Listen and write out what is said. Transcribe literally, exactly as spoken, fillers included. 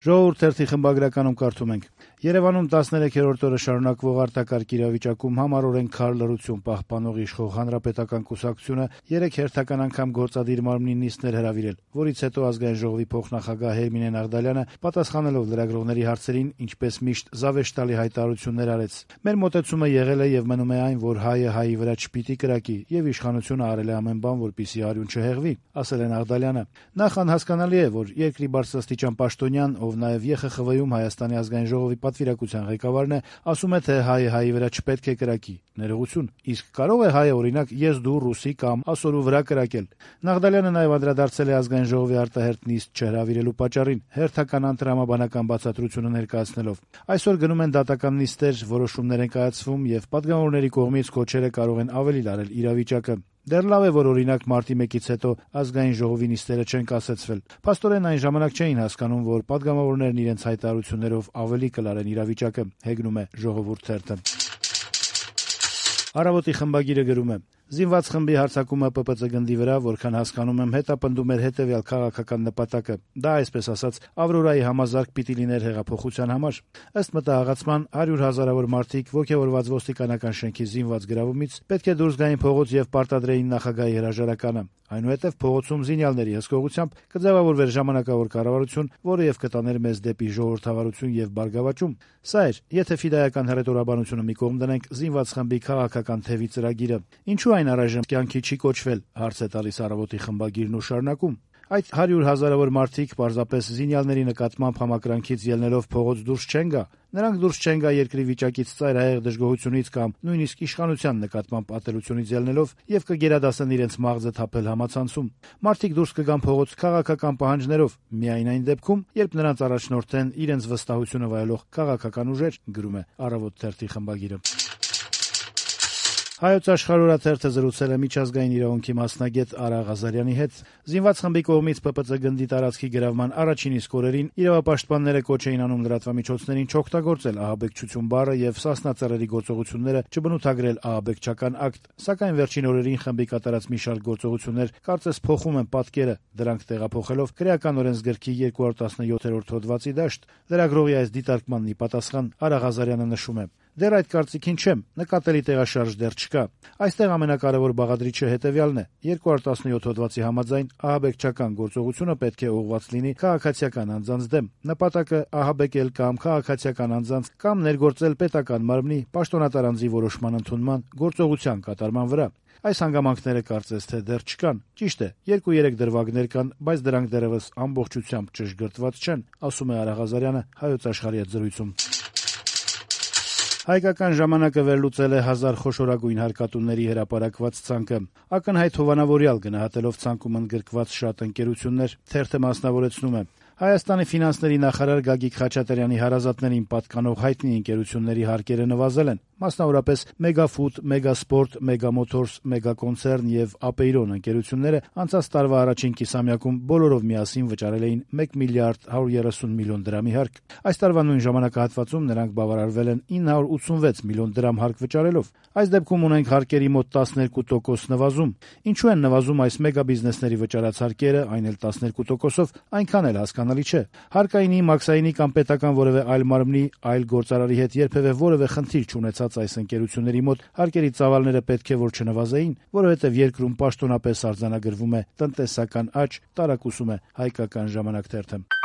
Ժողովուրդ թերթի խմբագրականում կարդում ենք. Երևանում տասներեքերորդ օրը շարունակվող արտակարգ իրավիճակում համառորեն քար լռություն պահպանող իշխող Հանրապետական կուսակցությունը երեկ հերթական անգամ գործադիր մարմնի նիստներ հրավիրել, որից հետո Ազգային ժողովի փոխնախագահ Հերմինե Նաղդալյանը, պատասխանելով լրագրողների հարցերին, ինչպես միշտ զավեշտալի հայտարարություններ արեց. «Մեր մոտեցումը եղել է եւ մնում է այն, որ հայը հայի վրա չպիտի կրակի եւ իշխանությունը արել է ամեն բան, որպեսզի արյուն չհեղվի», ասել է Նաղդալյանը։ Նախ անհասկանալի է, որ երկրի բարձրաստիճան պաշտոնյան, ով նաեւ Ե Խ Խ V-ում Հայաստանի ազգային ժողովի պատվիրակության ղեկավարն է, ասում է, թե հայը հայի վրա չպետք է կրակի։ Ներողություն, իսկ կարո՞ղ է հայը, օրինակ, ես դու ռուսի կամ ասորու վրա կրակել։ Նաղդալյանը նաեւ անդրադարձել է ազգային ժողովի արտահերթ նիստ չհրավիրելու պատճառին, հերթական անտրամաբանական բացատրությունը ներկայացնելով. «Այսօր գնում են դատական նիստեր, որոշումներ են կայացվում եւ պատգամավորների կողմից քոչերը կարող են ավելի լարել իրավիճակը։ Դեռ լավ է, որ օրինակ մարտի մեկից հետո ազգային ժողովի նիստերը չեն կասեցվել։ Փաստորեն այն ժամանակ չէին հասկանում, որ պատգամավորներն իրենց հայտարարություններով ավելի կլարեն իրավիճակը», հեգնում է Ժողովուրդ թերթը։ Առավոտի խմբագիրը գրում է. «Զինված խմբի հարձակումը Պ Պ Ծ գնդի վրա, որքան հասկանում եմ, հետապնդում էր հետեւյալ քաղաքական նպատակը. դա, այսպես ասած, Ավրորայի համազարկ պիտի լիներ հեղափոխության համար։ Ըստ մտահղացման, հարյուր հազարավոր մարդիկ ոգևորված ոստիկանական շենքի զինված գրավումից պետք է դուրս գային փողոց եւ պարտադրեին նախագահի հրաժարականը։ Այնուհետև փողոցում զինյալների հսկողությամբ կձևավորվեր ժամանակավոր կառավարություն, որը եւ կտաներ մեզ դեպի ժողովրդավարություն եւ բարգավաճում։ Սա էր, եթե ֆիդայական հռետորաբանությունը մի կողմ դնենք, զինված խմբի քաղաքական թևի ծրագիրը։ Ինչու այն առայժմ կյանքի չի կոչվել, հարց է տալիս Առավոտի խմբագիրն ու շարունակում. Այդ հարյուր հազարավոր մարդիկ պարզապես զինյալների նկատմամբ համակրանքից ելնելով փողոց դուրս չեն գա։ Նրանք դուրս չեն գա երկրի վիճակից ծայրահեղ դժգոհությունից կամ նույնիսկ իշխանության նկատմամբ ատելությունից ելնելով եւ կգերադասեն իրենց մաղձը թափել համացանցում։ Մարդիկ դուրս կգան փողոց քաղաքական պահանջներով, միայն այն դեպքում, երբ նրանց առաջնորդեն իրենց վստահությունը վայելող քաղաքական ուժեր, գրում է Առավոտ թերթի խմբագիրը։ Հայոց Աշխարհ օրաթերթը զրուցել է միջազգային իրավունքի մասնագետ Արա Ղազարյանի հետ։ Զինված խմբի կողմից Պ Պ Ծ գնդի տարածքի գրավման առաջին իսկ օրերին իրավապաշտպանները կոչ էին անում լրատվամիջոցներին չօգտագործել ահաբեկչություն բառը եւ սասնածռերի գործողությունները չբնութագրել ահաբեկչական ակտ, սակայն վերջին օրերին խմբի կատարած մի շարք գործողություններ կարծես փոխում են պատկերը, դրանք տեղափոխելով քրեական օրենսգրքի երկու հարյուր տասնյոթերորդ հոդվածի դաշտ։ Լրագրողի այս դիտարկմանն ի պատասխան Արա Ղազարյանը նշում է. «Դեռ այդ կարծիքին չեմ, նկատելի տեղաշարժ դեռ չկա։ Այստեղ ամենակարևոր բաղադրիչը հետեւյալն է. երկու հարյուր տասնյոթ հոդվածի համաձայն ահաբեկչական գործողությունը պետք է ուղղված լինի քաղաքացիական անձանց դեմ։ Նպատակը ահաբեկել կամ քաղաքացիական անձանց կամ ներգործել պետական մարմնի պաշտոնատար անձի որոշման ընդունման գործողության կատարման վրա։ Այս հանգամանքները կարծես թե դեռ չկան։ Ճիշտ է, երկու-երեք դրվագներ կան, բայց դրանք դեռևս ամբողջությամբ ճշգրտված չեն», ասում է Արա Ղազարյանը Հայոց Աշխարհի հետ զրույցում։ Հայկական ժամանակը վերլուծել է հազար խոշորագույն հարկատուների հրապարակված ցանկը։ Ակնհայտ հովանավորյալ գնահատելով ցանկում ընդգրկված շատ ընկերություններ, թերթը մասնավորեցնում է. Հայաստանի ֆինանսների նախարար Գագիկ Խաչատրյանի հարազատներին պատկանող հայտնի ընկերությունների հարկերը նվազել են։ Մասնավորապես Մեգաֆուդ, Մեգասպորտ, Մեգամոթորս, Մեգակոնցեռն եւ Ապեյրոն ընկերությունները անցած տարվա առաջին կիսամյակում բոլորով միասին վճարել էին մեկ միլիարդ հարյուր երեսուն միլիոն դրամի հարկ։ Այս տարվա նույն ժամանակահատվածում նրանք բավարարվել են ինը հարյուր ութսունվեց միլիոն դրամ հարկ վճարելով։ Այս դեպքում ունենք հարկերի մոտ տասներկու տոկոս նվազում։ Ինչու են նվազում այս մեգաբիզնեսների վճարած հարկերը, այն էլ տասներկու տոկոսով, այնքան էլ հասկանալի չէ։ Հարկայինի, մաքսայինի կամ պետական որևէ այլ մարմնի, այլ գործարարի հետ երբևէ որևէ խնդիր չունեցած այս ընկերությունների մոտ հարկերի ծավալները պետք է որ չնվազեին, որովհետև երկրում պաշտոնապես արձանագրվում է տնտեսական աճ, տարակուսում է Հայկական ժամանակ թերթը։